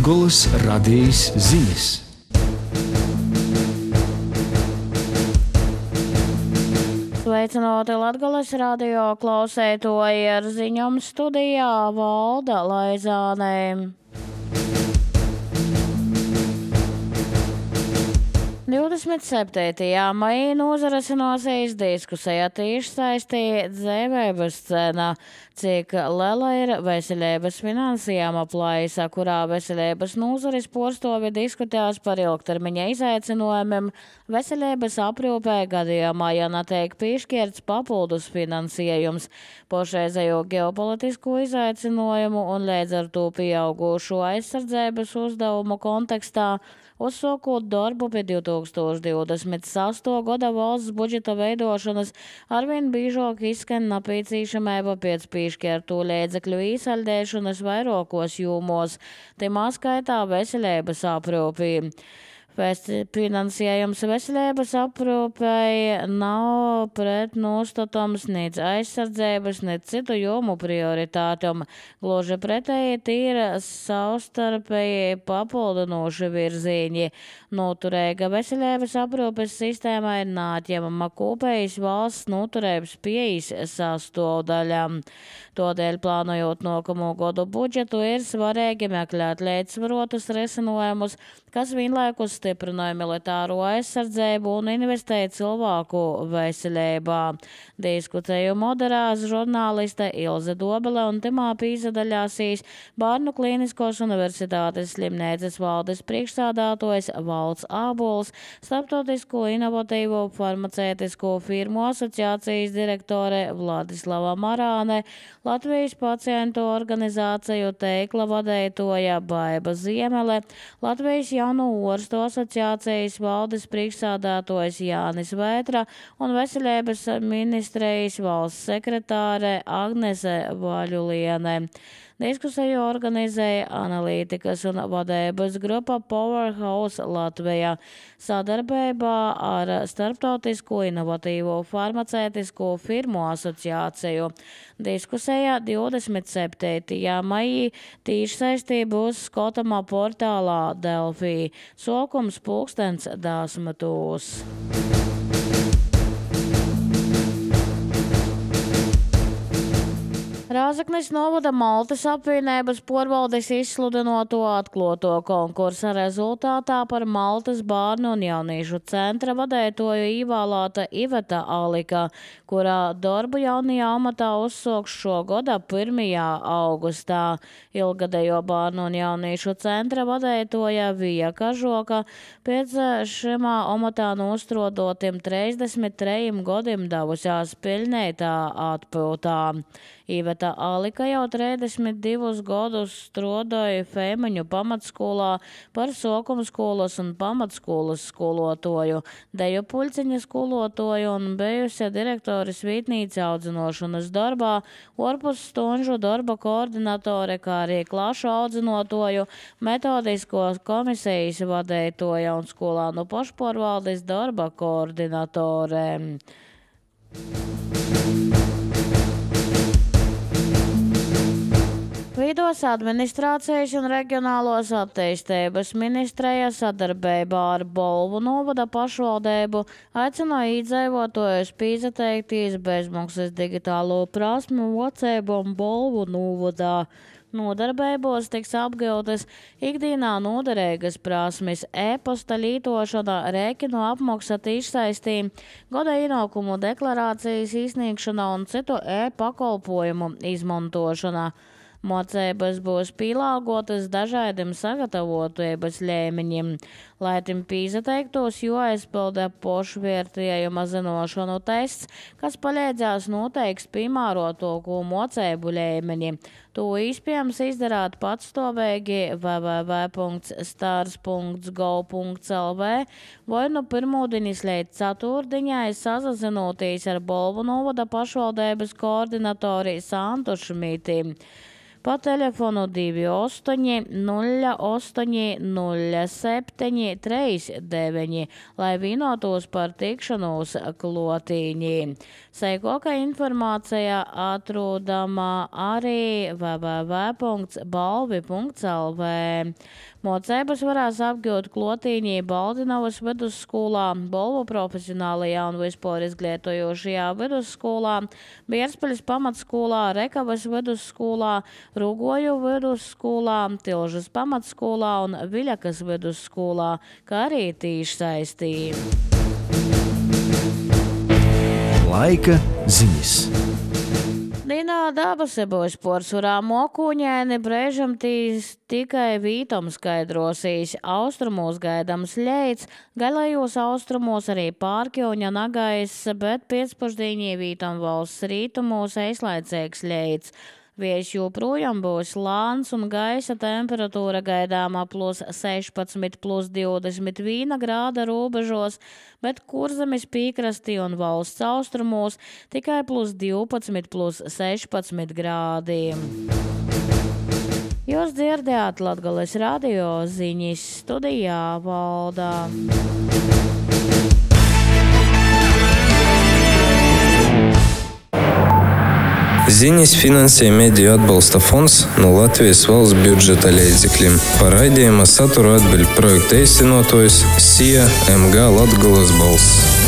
Latgoles radijas ziņas. Sveicināti Latgoles radio klausētoji, ar ziņām studijā Valda Laizāne. Divdesmit 7. maijā nozarasinosies diskusija tiešsaistē dzīvības cena, cik liela ir veselības finansējuma plaisa, kurā veselības nozares porstovi diskutēs par ilgtermiņa izaicinājumiem veselības aprūpē gadījumā, ja netiek piešķirts papildus finansējums pašreizējo ģeopolitisko izaicinājumu un līdz ar to pieaugušo aizsardzības uzdevumu kontekstā. Uzsākot darbu pie 2028. gada valsts budžeta veidošanas, arvien biežāk izskan nepieciešamība pēc piešķirto līdzekļu īsaldēšanas vairākos jomos, timā skaitā veselības aprūpē. Finansējums veselības aprūpei nav pretnostatams nec aizsardzības, nec citu jomu prioritātam. Gluži pretēji tīra savstarpēji papildinoši virzieni. Noturīga veselības aprūpes sistēma ir neatņemama kopējas valsts noturības pieejas sastāvdaļa. Tādēļ, plānojot nākamo gadu budžetu, ir svarīgi meklēt līdzsvarotus risinājumus, kas vienlaikus stiprināja militāro aizsardzību un investēja cilvēku veselībā. Diskutēju moderās žurnāliste Ilze Dobele un timā pīsadaļāsīs Bērnu klīniskos universitātes slimnīcas valdes priekšsādātojs Valds Ābols, Starptautisko inovatīvo farmacētisko firmu asociācijas direktore Vladislava Marāne, Latvijas pacientu organizāciju teikla vadētoja Baiba Ziemele, Latvijas Jaunu ārstu asociācijas valdes priekšsādātojs Jānis Vētra un veselības ministrijas valsts sekretāre Agnese Vaļuliene. Diskusiju organizēja analītikas un vadības grupa Powerhouse Latvijā sadarbībā ar Starptautisko inovatīvo farmacētisko firmu asociāciju. Diskusijā 27. maijā tiešsaistē būs skatāmā portālā Delfī. Sākums 10:10. Rāzaknis novada Maltas apvienības porvaldes izsludinoto atklāto konkursa rezultātā par Maltas bērnu un jauniešu centra vadētoju ievēlēta Iveta Alika, kurā darbu jaunajā amatā uzsāks šo gada 1. augustā. Ilgadējo bērnu un jauniešu centra vadētoja Vija Kažoka pēc šimā amatā nostrodotiem 33 gadiem devusies pilnētā atpūtā. Iveta Alika jau 32 gadus strādāja Feimaņu pamatskolā par sākumskolas un pamatskolas skolotoju, deju puļciņa skolotoju un bijusi direktoris vietnīca audzinošanas darbā, ārpus stunžu darba koordinatore, kā arī klašu audzinotoju, metodisko komisijas vadētoja un skolānu pašpārvaldes darba koordinatore. Vidos administrācijas un reģionālos attīstības ministreja sadarbībā ar Bolvu novada pašvaldību aicināja iedzīvotājus pieteikties bezmaksas digitālo prasmu mocību un Bolvu novadā. Nodarbībos tiks apgūtas ikdienā noderīgas prasmes, e-pasta lietošana, rēķinu apmaksa tiešsaistē, gada ienākumu deklarācijas izsniegšana un citu e-pakalpojumu izmantošana. Mocības būs pielāgotas dažādiem sagatavotības līmeņiem, lai tim pieteiktos, jo aizpilda pašvērtējuma zināšanu tests, kas palīdzēs noteikt piemērotāko mocību līmeni. To iespējams izdarīt patstāvīgi www.stars.gov.lv vai no pirmdienas līdz ceturtdienai sazinoties ar Bolvu novada pašvaldības koordinatori Santu Šmīti. Pa telefonu 28 08 07 39, lai vienotos par tikšanos klotīņī. Seikoka informācija atrodama arī www.balvi.lv. Mocības varēs apgūt Klotīņī, Baldinavas vidusskolā, Bolvu profesionālajā un vispār izglītojošajā vidusskolā, Bierspaļas pamatskolā, Rekavas vidusskolā, Rugoju vidusskolā, Tilžas pamatskolā un Viļakas vidusskolā, kā arī tīšsaistī. Laika ziņas. Dīnā dabase būs porcelāna mokūņēni, brēžam tikai vītam skaidrosīs. Austrumos gaidams ļeids, galējos austrumos arī pārkļuņa nagais, bet pēcpusdienī vītam valsts rītumos aizlaicīgs ļeids. Vējš joprojām būs lāns un gaisa temperatūra gaidāmā +16, +21 grāda robežos, bet Kurzemes piekrastī un valsts austrumos tikai +12, +16 grādi. Jūs dzirdējāt Latgales radio ziņas, studijā Valdā. Ziņas finansē Mediju atbalsta fonds no Latvijas valsts budžeta līdzekļiem. Par raidījuma saturu atbild projekta īstenotājs SIA MG Latgales balss.